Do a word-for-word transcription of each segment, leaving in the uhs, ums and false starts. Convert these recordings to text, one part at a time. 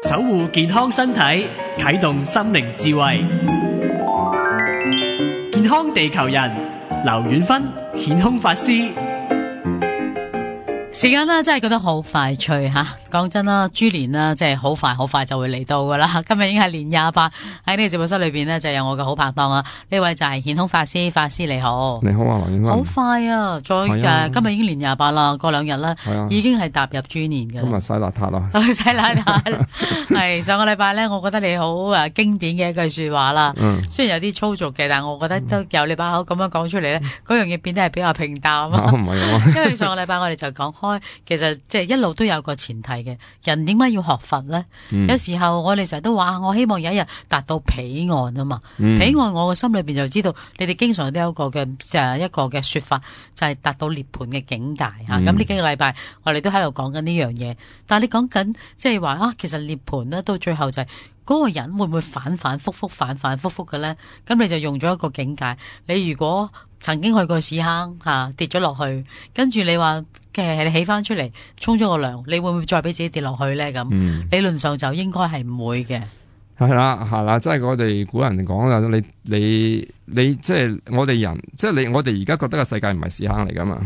守護健康身體，啟動心靈智慧。健康地球人，劉遠芬顯空法師。時間呢真係覺得好快脆吓，講真啦，豬年啦，即係好快好快就會嚟到噶啦。今日已經係年廿八，喺呢個直播室裏邊呢，就有我嘅好拍檔啊，呢位就係顯空法師，法師你好。你好啊，劉遠芬。好快啊！再誒、啊，今日已經年廿八啦，過兩日咧，啊、已經係踏入豬年嘅。今日洗邋遢啦，洗邋遢。係上個禮拜咧，我覺得你好誒經典嘅一句說話啦。嗯、雖然有啲粗俗嘅，但係我覺得都由你把口咁樣講出嚟咧，嗰、嗯、樣嘢變得係比較平淡啊。唔係啊，因為上個禮拜我哋就講開，其實即係一路都有個前提嘅，人點解要學佛咧？嗯、有時候我哋成日都話，我希望有一日達到彼岸啊嘛。嗯、彼岸我嘅心裏邊就知道，你哋經常都有一個嘅誒一個嘅說法，就係、是、達到涅槃嘅境界吓。咁呢、嗯、幾個禮拜我哋都喺度講緊呢樣嘢，但係你講緊即係話啊，其實涅槃咧到最後就係、是、嗰個人會唔會反反复复、反反复复嘅咧？咁你就用咗一個境界。你如果曾經去過屎坑吓、啊、跌咗落去，跟住你話嘅你起翻出嚟沖咗個涼，你會唔會再俾自己跌落去咧？咁、嗯、理論上就應該係唔會嘅。係啦，係啦，即係我哋古人講啦，你你你即係我哋人，即係你我哋而家覺得個世界唔係屎坑嚟噶嘛。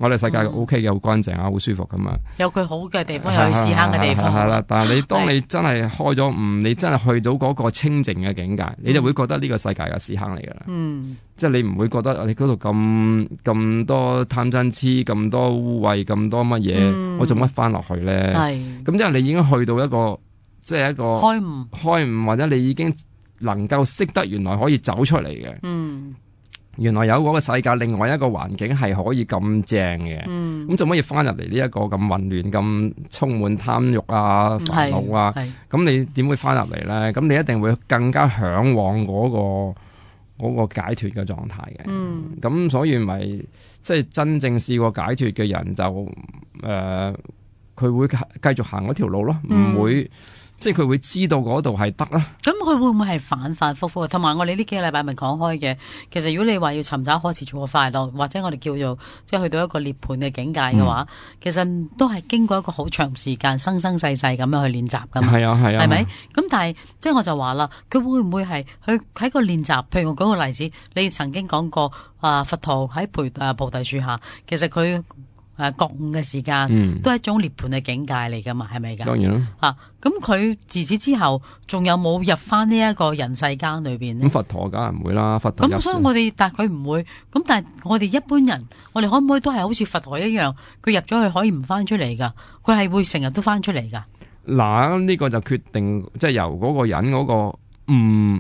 我哋世界 O K 嘅，好乾淨啊，好舒服咁啊。有佢好嘅地方，有佢屎坑嘅地方。係啦，但係你當你真係開咗悟，你真係去到嗰個清淨嘅境界，你就會覺得呢個世界係屎坑嚟噶啦。嗯，即係你唔會覺得你嗰度咁咁多貪嗔痴，咁多污穢，咁多乜嘢，嗯、我做乜翻落去咧？係咁，因為你已經去到一個即係一個開悟，開悟或者你已經能夠識得原來可以走出嚟嘅。嗯。原來有嗰個世界，另外一個環境係可以咁正嘅，咁做乜要翻入嚟呢一個咁混亂、咁充滿貪欲啊、煩惱啊？咁你點會翻入嚟咧？咁你一定會更加向往嗰個嗰個解脫嘅狀態嘅。咁、嗯、所以咪即係真正試過解脫嘅人就誒，佢、呃、會繼續行嗰條路咯，唔、嗯、會。即係佢會知道嗰度係得啦。咁佢會唔會係反反复复？同埋我哋呢幾個禮拜咪講開嘅。其實如果你話要尋找可持續嘅快樂，或者我哋叫做即係去到一個涅槃嘅境界嘅話，嗯、其實都係經過一個好長時間生生世世咁樣去練習噶嘛。係啊係啊，係咪？咁但係即係我就話啦，佢會唔會係佢喺個練習？譬如我舉個例子，你曾經講過啊，佛陀喺菩啊菩提樹下，其實佢。誒，覺悟嘅時間、嗯、都係一種涅槃嘅境界嚟噶嘛，係咪噶？當然啦。吓，咁佢自此之後，仲有冇入翻呢一個人世間裏邊呢？咁佛陀梗係唔會啦，佛陀。咁所以我哋，但係佢唔會。咁但係我哋一般人，我哋可唔可以都係好似佛陀一樣，佢入咗去可以唔翻出嚟噶？佢係會成日都翻出嚟噶？嗱，呢個就決定即係、就是、由嗰個人嗰、嗰個悟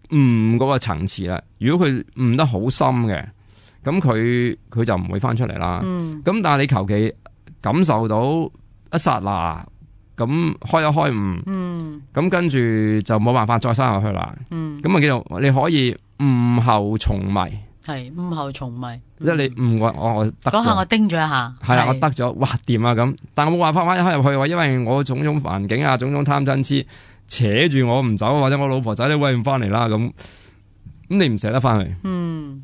悟嗰個層次啦。如果佢悟得好深嘅。咁佢佢就唔會翻出嚟啦。咁、嗯、但係你求其感受到一剎那，咁開一開悟，咁、嗯、跟住就冇辦法再生落去啦。咁啊、嗯、叫做你可以悟後重迷，係悟後重迷。即係你悟我我我得嗰下我叮咗一下，係啦我得咗，哇掂啊咁。但係我冇辦法翻開入去喎，因為我種種環境啊，種種貪嗔痴扯住我唔走，或者我老婆仔你喂唔翻嚟啦咁，咁你唔捨得翻去。嗯。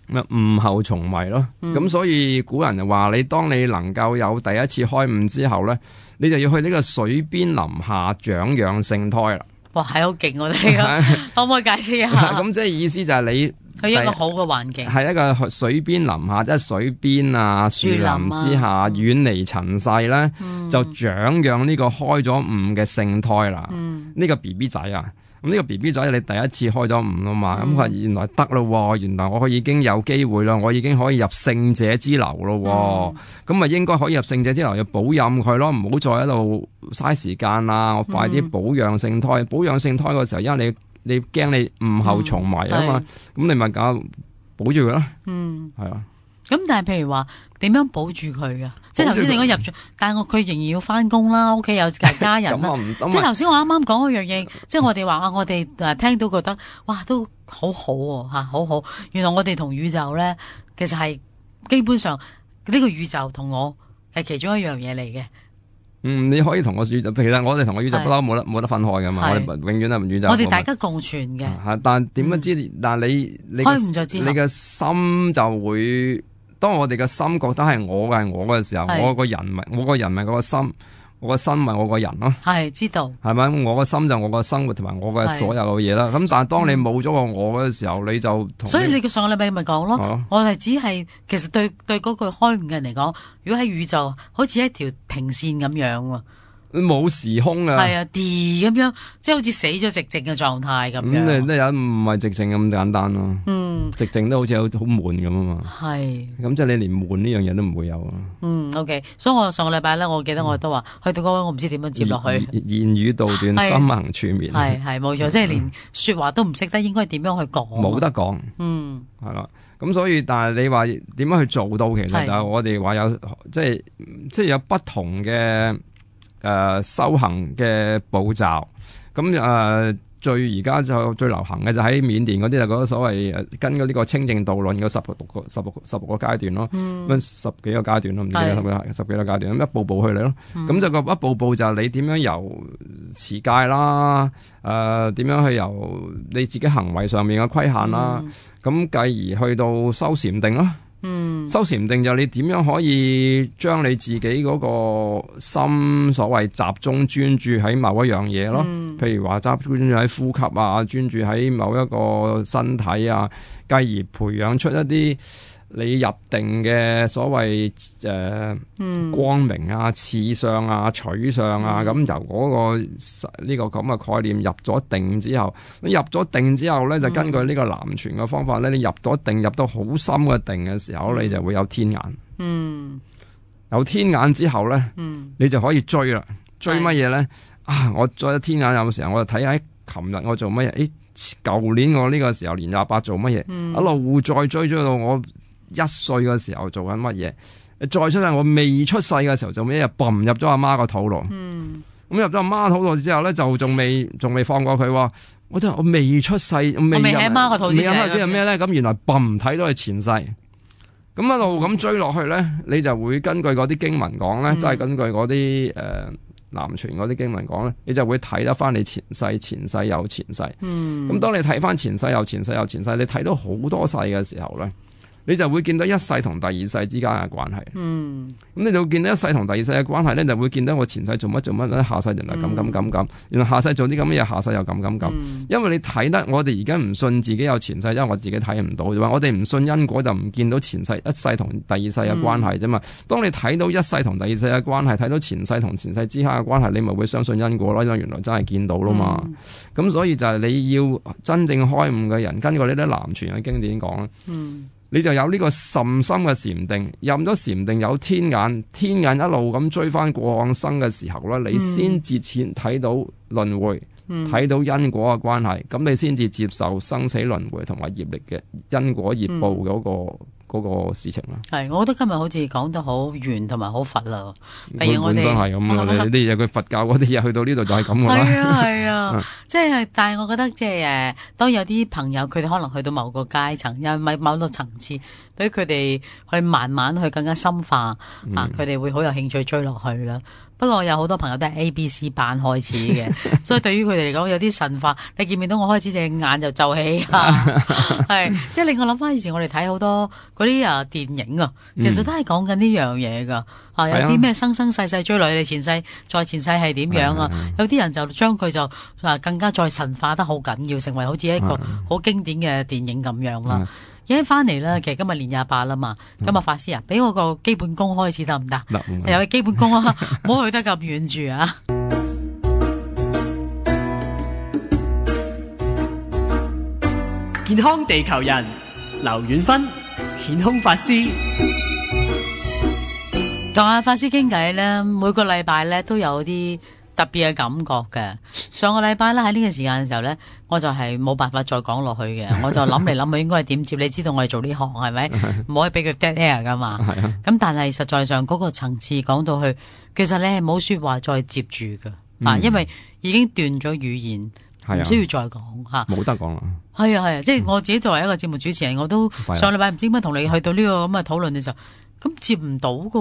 咁悟後重迷咯，咁、嗯、所以古人就話你當你能夠有第一次開悟之後咧，你就要去呢個水邊林下長養聖胎啦。哇，係好勁我哋噶，可唔可以解釋一下？咁即係意思就係你去一個好嘅環境，係一個水邊林下，即係水邊啊樹林之下，遠離塵世咧，嗯、就長養呢個開咗悟嘅聖胎啦。呢、嗯、個 B B 仔啊。咁呢個 B B 仔你第一次開咗悟啊嘛，咁佢話原來得咯，原來我已經有機會啦，我已經可以入聖者之流咯，咁咪、嗯、應該可以入聖者之流，要保佑佢咯，唔好再喺度嘥時間啦，我快啲保養聖胎，嗯、保養聖胎嗰時候，因為你你驚你悟後重迷啊嘛，咁、嗯、你咪搞保住佢咯，嗯，係啊。咁但係譬如話點樣保住佢噶？即係頭先你講入咗，但係我佢仍然要翻工啦，屋企有其他人啦。即係頭先我啱啱講嗰樣嘢，即係我哋話啊，我哋誒聽到覺得哇都好好喎吓，好好。原來我哋同宇宙咧，其實係基本上呢個宇宙同我係其中一樣嘢嚟嘅。嗯，你可以同個宇宙，其實我哋同個宇宙不嬲冇得冇得分開噶嘛，我哋永遠都係宇宙。我哋大家共存嘅。係，但點樣知？但係你你開悟咗之後，你嘅心就會。當我哋嘅心覺得係我嘅係我嘅時候，我個人咪我個人咪個心我個心咪我個人咯，係知道，係咪？我個心就我個生活同埋我嘅所有嘅嘢啦。咁但係當你冇咗個我嘅時候，你就同所以你上個禮拜咪講咯，啊、我係只係其實對對嗰個開悟嘅人嚟講，如果喺宇宙好似一條平線咁樣喎。冇時空啊，係啊，啲咁樣，即係好似死咗直靜嘅狀態咁樣。咁你都有唔係直靜咁簡單咯？嗯，直靜都好似好好悶咁啊嘛。係，咁即係你連悶呢樣嘢都唔會有啊。嗯 ，OK，所以我上個禮拜咧，我記得我都話、嗯、去到嗰位，我唔知點樣接落去。言語道斷，心行處滅。係係冇錯，即係連說話都唔識得，應該點樣去講？冇得講。嗯，係啦。咁所以，但係你話點樣去做到？其實就係我哋話有，即係即係有不同嘅。誒、呃、修行嘅步驟，咁誒、呃、最而家就最流行嘅就喺緬甸嗰啲就嗰個所謂誒跟嗰呢個清淨道論嗰十六個十六十六個階段咯，咁、嗯、十幾個階段咯，唔記得十幾十幾個階段，咁一步步去嚟咯，咁、嗯、就個一步步就係你點樣由持戒啦，誒、呃、點樣去由你自己行為上面嘅規限啦，咁、嗯、繼而去到修禪定咯。嗯，修禪定就係你點樣可以將你自己嗰個心所謂集中專注喺某一樣嘢咯，嗯、譬如話集中專注喺呼吸啊，專注喺某一個身體啊，繼而培養出一啲你入定嘅所謂誒、呃嗯、光明啊、次相啊、取相啊，咁、嗯、由嗰、嗰個呢、呢個咁嘅概念入咗定之後，你入咗定之後咧，就根據呢個南傳嘅方法咧，你入咗定入到好深嘅定嘅時候，你就會有天眼。嗯，有天眼之後咧，嗯，你就可以追啦。追乜嘢咧？啊，我再天眼有時候我就睇下，琴日我做乜嘢？誒，舊年我呢個時候年廿八做乜嘢？嗯、一路再追追到我一歲嘅時候做緊乜嘢？再出世我未出世嘅時候做咩嘢？嘣入咗阿媽個肚度。嗯，咁入咗阿媽肚度之後咧，就仲未仲未放過佢。我真係我未出世，未入喺媽個肚之前係咩咧？咁原來嘣睇到係前世。咁一路咁追落去咧，你就會根據嗰啲經文講咧，即係、嗯、根據嗰啲誒南傳嗰啲經文講咧，你就會睇得翻你前世、前世有前世。嗯，咁當你睇翻前世有前世有前世，你睇到好多世嘅時候咧，你就會見到一世同第二世之間嘅關係。嗯，咁你就會見到一世同第二世嘅關係咧，就會見到我前世做乜做乜咧，下世原來咁咁咁咁，原來下世做啲咁嘅嘢，下世又咁咁咁。嗯、因為你睇得，我哋而家唔信自己有前世，因為我自己睇唔到啫嘛。我哋唔信因果就唔見到前世一世同第二世嘅關係啫嘛。嗯、當你睇到一世同第二世嘅關係，睇到前世同前世之間嘅關係，你咪會相信因果咯。因為原來真係見到咯嘛。咁、嗯、所以就係你要真正開悟嘅人，根據呢啲南傳嘅經典講。嗯，你就有呢個甚深嘅禪定，入咗禪定有天眼，天眼一路咁追翻過往生嘅時候咧，你先至淺睇到輪迴，睇、嗯、到因果嘅關係，咁你先至接受生死輪迴同埋業力嘅因果業報嗰、嗰個。嗯嗰個事情啦，係，我覺得今日好似講得好圓同埋好佛啦。譬如我哋本身係咁啊，你啲嘢佢佛教嗰啲嘢去到呢度就係咁噶啦。係啊係啊，即係，但係我覺得即係誒，當有啲朋友佢哋可能去到某個階層，又咪某個層次，對於佢哋去慢慢去更加深化、嗯、啊，佢哋會好有興趣追落去啦。不過有好多朋友都係 A B C 班開始嘅，所以對於佢哋嚟講有啲神化。你見唔見到我開始隻眼就皺起啊？係，即係令我諗翻以前我哋睇好多嗰啲啊電影啊，其實都係講緊呢樣嘢噶。啊，有啲咩生生世世追落去，你前世再前世係點樣啊？有啲人就將佢就啊更加再神化得好緊要，成為好似一個好經典嘅電影咁樣啦。而家翻嚟啦，其實今日年廿八啦嘛，今日法師啊，俾我個基本功開始得唔得？有個基本功啊，唔好去得咁遠住啊！健康地球人，劉遠芬，顯空法師。同阿法師傾偈咧，每個禮拜咧都有啲特別嘅感覺嘅。上個禮拜咧喺呢個時間嘅時候咧，我就係冇辦法再講落去嘅，我就諗嚟諗去應該係點接。你知道我哋做呢行係咪？唔可以俾佢 dead air 噶嘛。咁但係實在上嗰個層次講到去，其實你係冇說話再接住噶，啊、嗯，因為已經斷咗語言，唔需要再講吓，冇得講啦。係啊係啊，即係我自己作為一個節目主持人，我都上禮拜唔知點解同你去到呢個咁嘅討論嘅時候。咁接唔到噶，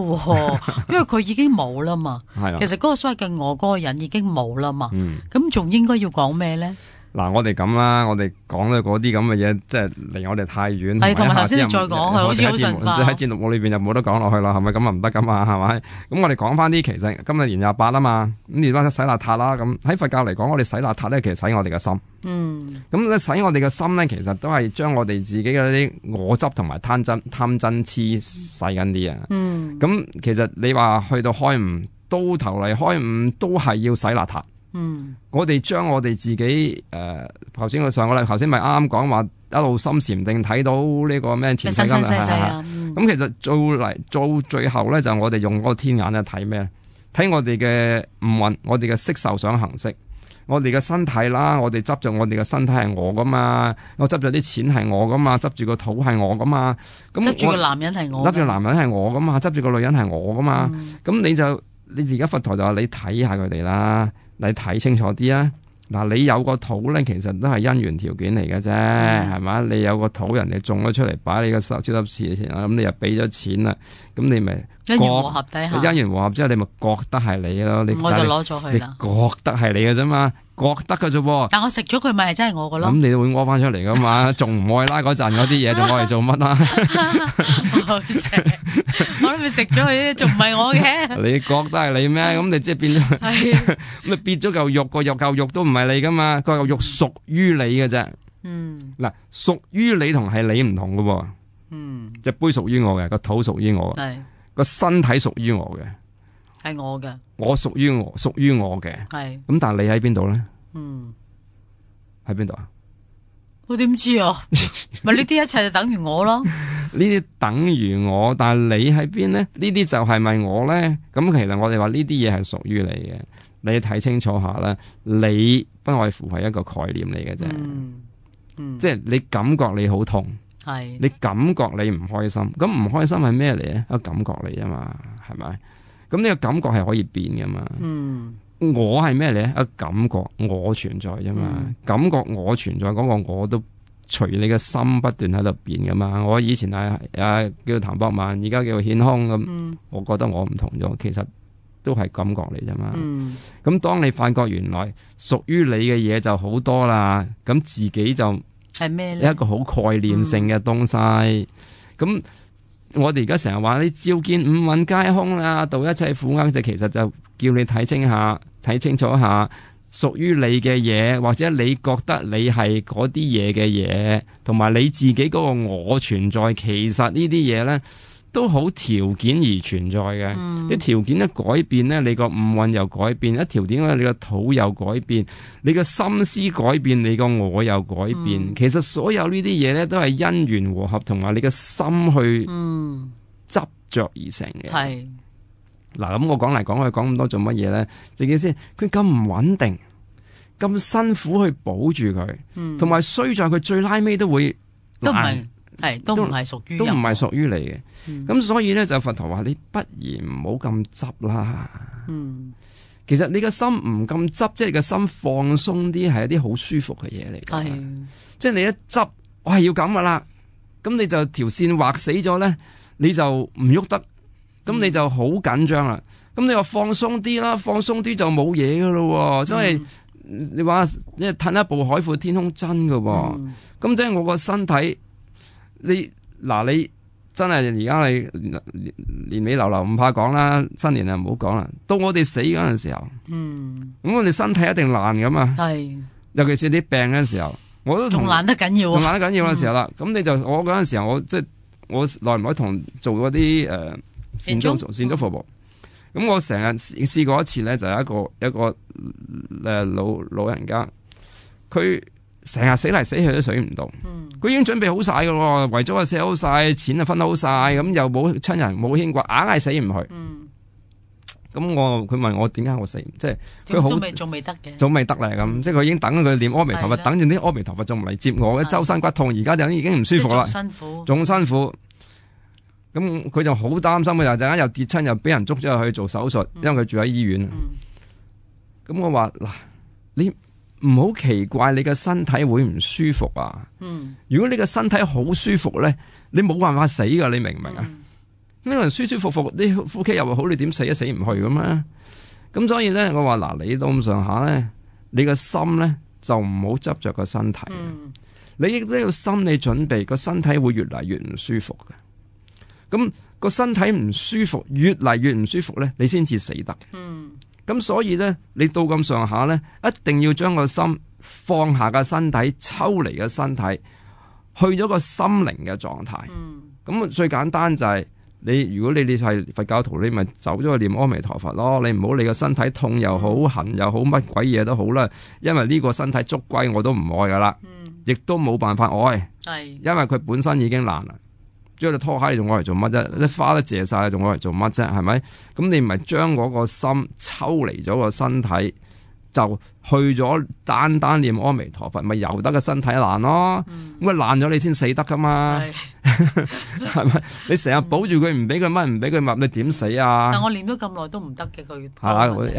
因為佢已經冇啦嘛。其實嗰個所謂嘅我嗰個人已經冇啦嘛。咁仲、嗯、應該要講咩咧？嗱，我哋咁啦，我哋講嘅嗰啲咁嘅嘢，即係離我哋太遠。係，同埋頭先你再講，係好似好神化。喺節目裏邊就冇得講落去啦，係咪咁啊？唔得噶嘛，係咪？咁我哋講翻啲，其實今日年廿八啊嘛，咁年八洗邋遢啦。咁喺佛教嚟講，我哋洗邋遢咧，其實洗我哋嘅心。嗯。咁咧洗我哋嘅心咧，其實都係將我哋自己嘅啲我執同埋貪真、貪真痴洗緊啲啊。嗯。咁其實你話去到開悟，到頭嚟開悟都係要洗邋遢。嗯，我哋將我哋自己誒，頭先我上個禮，頭先咪啱啱講話一路心禪定睇到呢個咩前世今生啊，咁其實做嚟做最後咧，就我哋用嗰個天眼咧睇咩？睇我哋嘅五蘊，我哋嘅色受想行識，我哋嘅身體啦，我哋執着我哋嘅身體係我噶嘛，我執咗啲錢係我噶嘛，執住個肚係我噶嘛，咁執住個男人係我，執住男人係我噶嘛，執住個女人係我噶嘛，咁、嗯、你就你而家佛陀就話你睇下佢哋啦。你睇清楚啲啊！嗱，你有個肚咧，其實都係因緣條件嚟嘅啫，係嘛、嗯？你有個肚，人哋種咗出嚟，擺你個手超級市嘅錢，咁你又俾咗錢啦，咁你咪因緣和合底下，因緣和合之後，你咪覺得係你咯。你我就攞咗佢啦。你覺得係你嘅啫嘛，覺得嘅啫噃。但我食咗佢咪係真係我嘅咯。咁你會屙翻出嚟噶嘛？仲唔愛拉嗰陣嗰啲嘢，仲愛嚟做乜啊？我都咪食咗佢，仲唔係我嘅？你覺得係你咩？咁你即係變咗，咁你變咗嚿肉，個肉嚿肉都唔係你噶嘛？個嚿肉屬於你嘅啫。嗯。嗱，屬於你同係你唔同噶。嗯。隻杯屬於我嘅，個肚屬於我嘅。係。個身體屬於我嘅，係我嘅。我屬於我，屬於我嘅。係。咁但係你喺邊度咧？嗯。喺邊度啊？我點知啊？咪呢啲一切就等於我咯。呢啲等於我，但係你喺邊咧？呢啲就係咪我咧？咁其實我哋話呢啲嘢係屬於你嘅，你睇清楚下啦。你不外乎係一個概念嚟嘅啫。嗯。嗯。即係你感覺你好痛。係，你感覺你唔開心，咁唔開心係咩嚟咧？一個感覺嚟啊嘛，係咪？咁呢個感覺係可以變噶嘛？嗯，我係咩嚟咧？一個感覺我存在啫嘛，嗯、感覺我存在嗰個我都隨你嘅心不斷喺度變噶嘛。我以前係啊叫譚博文，而家叫顯空咁，嗯、我覺得我唔同咗，其實都係感覺嚟啫嘛。嗯，咁當你發覺原來屬於你嘅嘢就好多啦，咁自己就。係咩咧？一個好概念性嘅東西。咁、嗯、我哋而家成日話你照見五蘊皆空啦，度一切苦厄，就其實就叫你睇清下，睇清楚下屬於你嘅嘢，或者你覺得你係嗰啲嘢嘅嘢，同埋你自己嗰個我存在，其實呢啲嘢咧都好條件而存在嘅。啲、嗯、條件一改變咧，你個五蘊又改變；一條件咧，你個肚又改變；你個心思改變，你個我又改變。嗯、其實所有呢啲嘢咧，都係因緣和合，同埋你個心去執着而成嘅。係嗱、嗯，咁我講嚟講去講咁多做乜嘢咧？正經先，佢咁唔穩定，咁辛苦去保住佢，同埋衰在佢最拉尾都會都唔係。係都唔係屬於，都唔係屬於你嘅。咁、嗯、所以咧就佛陀話你不如唔好咁執啦。嗯，其實你個心唔咁執，即係你個心放鬆啲，係一啲好舒服嘅嘢嚟。係的，即係你一執，我係要咁噶啦。咁你就條線畫死咗咧，你就唔喐得。咁你就好緊張啦。咁、嗯、你話放鬆啲啦，放鬆啲就冇嘢噶咯。所以、嗯、你話你褪一步海闊天空真噶。咁、嗯、即係我個身體。你嗱你真係而家你年尾流流唔怕講啦，新年啊唔好講啦。到我哋死嗰陣時候，嗯，咁我哋身體一定爛噶嘛，係，尤其是啲病嗰陣時候，我都同爛得緊要，同爛得緊要嘅時候啦。咁、嗯、你就我嗰陣時候，我即係我耐唔耐同做嗰啲誒善終善終服務。咁我成日試過一次咧，就係一個一個誒老老人家，佢。成日死嚟死去都死唔到，佢、嗯、已經準備好晒噶咯，遺囑啊寫好晒，錢啊分好晒，咁、嗯、又冇親人冇牽掛，硬係死唔去。咁、嗯、我佢問我點解我死，即係佢好仲未得嘅，仲未得咧咁，嗯、即係佢已經等佢念阿彌陀佛，的等住啲阿彌陀佛仲唔嚟接我嘅，周身骨痛，而家就已經唔舒服啦，辛苦，仲辛苦。咁佢就好擔心嘅，又陣間又跌親，又俾人捉咗去做手術，嗯、因為佢住喺醫院。咁、嗯、我話嗱，你。唔好奇怪，你嘅身體會唔舒服啊？嗯，如果你嘅身體好舒服咧，你冇辦法死噶，你明唔明啊？呢個人舒舒服服，啲呼吸又好，你點死都死唔去噶嘛？咁所以咧，我話嗱，你到咁上下咧，你個心咧就唔好執着個身體。嗯、你亦都要心理準備，個身體會越嚟越唔舒服嘅。咁個身體唔舒服，越嚟越唔舒服咧，你先至死得。嗯，咁所以咧，你到咁上下咧，一定要將個心放下個身體，抽離個身體，去咗個心靈嘅狀態。嗯，咁最簡單就係、是。你如果你哋係佛教徒，你咪走咗去念阿彌陀佛咯。你唔好理個身體痛又好，痕又好，乜鬼嘢都好啦。因為呢個身體捉龜我都唔愛噶啦，亦、嗯、都冇辦法愛。係，因為佢本身已經爛啦。將隻拖鞋你仲愛嚟做乜啫？啲花都謝晒，仲愛嚟做乜啫？係咪？咁你咪將嗰個心抽離咗個身體，就去咗單單念阿彌陀佛，咪由得個身體爛咯。咁啊爛咗你先死得噶嘛。係咪？你成日保住佢，唔俾佢乜，唔俾佢物，你點死啊？但我練咗咁耐都唔得嘅，佢係啦，我一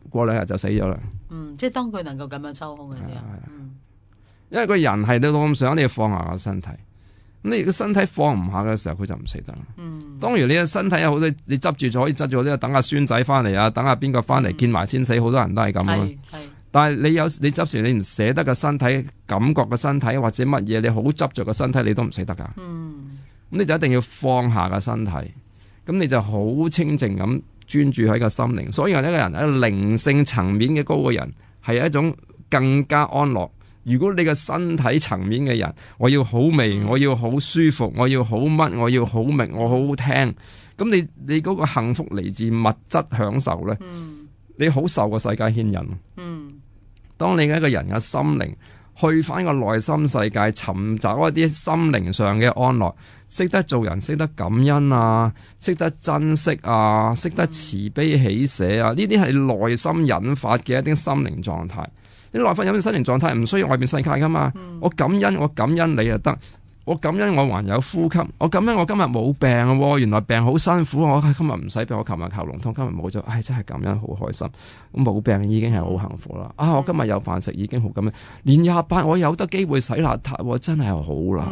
過兩日就死咗啦。嗯，即係當佢能夠咁樣抽空嘅啫。嗯，因為個人係到咁上，你要放下個身體。咁你個身體放唔下嘅時候，佢就唔死得啦。嗯，當然你個身體有好多，你執住咗可以執住，呢等下孫仔翻嚟啊，等下邊個翻嚟見埋先死，好多人都係咁啊。但係你有你執時你唔捨得個身體，感覺個身體或者乜嘢，你好執着個身體，你都唔捨得噶。嗯，咁你就一定要放下個身體，咁你就好清靜咁專注喺個心靈。所以一個人喺靈性層面嘅高嘅人，係一種更加安樂。如果你個身體層面嘅人，我要好味，嗯、我要好舒服，我要好乜，我要好明，我好好聽，咁你你嗰個幸福嚟自物質享受咧。嗯，你好受個世界牽引。嗯，當你嘅一個人嘅心靈去翻個內心世界，尋找一啲心靈上嘅安樂，識得做人，識得感恩啊，識得珍惜啊，識得慈悲喜捨啊，呢啲係內心引發嘅一啲心靈狀態。你內心有啲心靈狀態唔需要外面世界噶嘛。嗯、我感恩，我感恩你就得。我感恩我還有呼吸，我感恩我今日冇病喎，原來病好辛苦，我今日唔使病，我琴日喉嚨痛，今日冇咗，唉真係感恩好開心，咁冇病已經係好幸福啦。啊，我今日有飯食已經好感恩，年廿八我有得機會洗邋遢，真係好啦。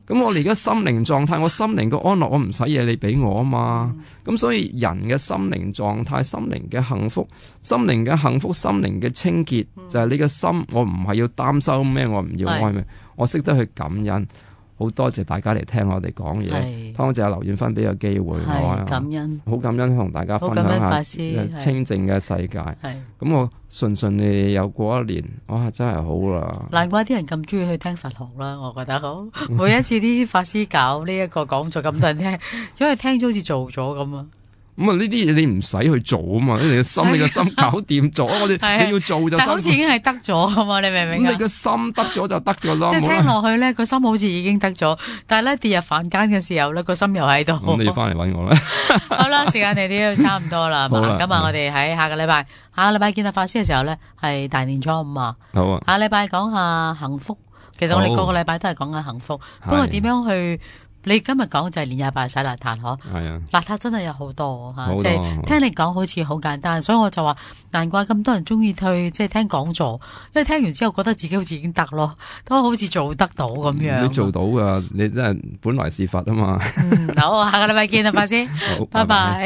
咁我哋而家心靈狀態，我心靈個安樂，我唔使嘢你俾我啊嘛。咁、嗯、所以人嘅心靈狀態、心靈嘅幸福、心靈嘅幸福、心靈嘅清潔，嗯、就係你嘅心。我唔係要擔心咩，我唔要愛咩，我識得去感恩。好多謝大家嚟聽我哋講嘢，多謝阿劉遠芬俾個機會我，感恩，好感恩同大家分享下清靜嘅世界。咁我順順利利又過一年，哇，真係好啦！難怪啲人咁中意去聽佛學啦，我覺得好。每一次啲法師搞呢一個講座咁多人聽，因為聽咗好似做咗咁啊。咁啊！呢啲嘢你唔使去做啊嘛，你嘅心你嘅心搞掂咗，我哋你要做就。但好似已經係得咗噶嘛，你明唔明啊？咁你個心得咗就得咗咯。即係聽落去咧，個心好似已經得咗，但係咧跌入凡間嘅時候咧，個心又喺度。咁你要翻嚟搵我啦。好啦，時間你哋都差唔多啦。好啦，咁啊，我哋喺下個禮拜，下個禮拜見到法師嘅時候咧，係大年初五啊。好啊。下個禮拜講下幸福，其實我哋個個禮拜都係講緊幸福，不過點樣去？你今日講就係年廿八洗邋遢嗬，係啊，邋遢真係有好多吓，即係聽你講好似好簡單，所以我就話難怪咁多人中意去即係聽講座，因為聽完之後覺得自己好似已經得咯，都好似做得到咁樣。你做到噶，你真係本來是佛啊嘛。嗯，好，下個禮拜見啊，法師，好，拜拜。